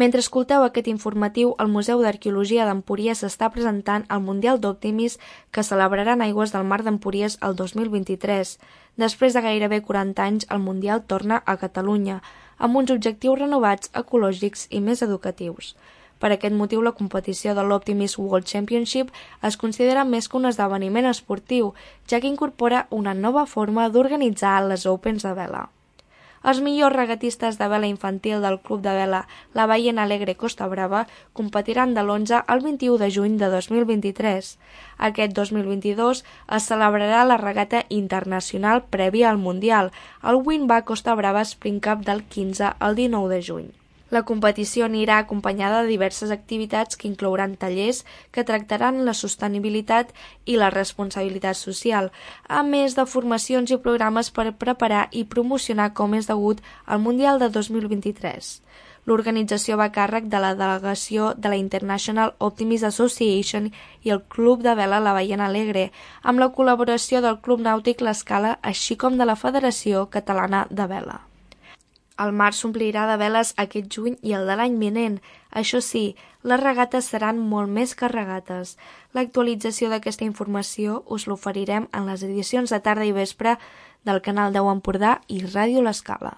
Mentre escolteu aquest informatiu, el Museu d'Arqueologia d'Empúries s'està presentant al Mundial d'Optimis que celebrarà en aigües del Mar d'Empúries el 2023. Després de gairebé 40 anys, el Mundial torna a Catalunya, amb uns objectius renovats, ecològics i més educatius. Per aquest motiu, la competició de l'Optimis World Championship es considera més que un esdeveniment esportiu, ja que incorpora una nova forma d'organitzar les Opens de vela. Els millors regatistes de vela infantil del Club de Vela La Ballena Alegre Costa Brava competiran de l'11 al 21 de juny de 2023. Aquest 2022 es celebrarà la regata internacional prèvia al Mundial, el Winbah Costa Brava Spring Cup del 15 al 19 de juny. La competició anirà acompanyada de diverses activitats que inclouran tallers que tractaran la sostenibilitat i la responsabilitat social, a més de formacions i programes per preparar i promocionar com és degut al Mundial de 2023. L'organització va a càrrec de la delegació de la International Optimist Association i el Club de Vela La Ballena Alegre, amb la col·laboració del Club Nàutic L'Escala, així com de la Federació Catalana de Vela. El mar s'omplirà de veles aquest juny i el de l'any vinent. Això sí, les regates seran molt més que regates. L'actualització d'aquesta informació us l'oferirem en les edicions de tarda i vespre del Canal 10 Empordà i Ràdio L'Escala.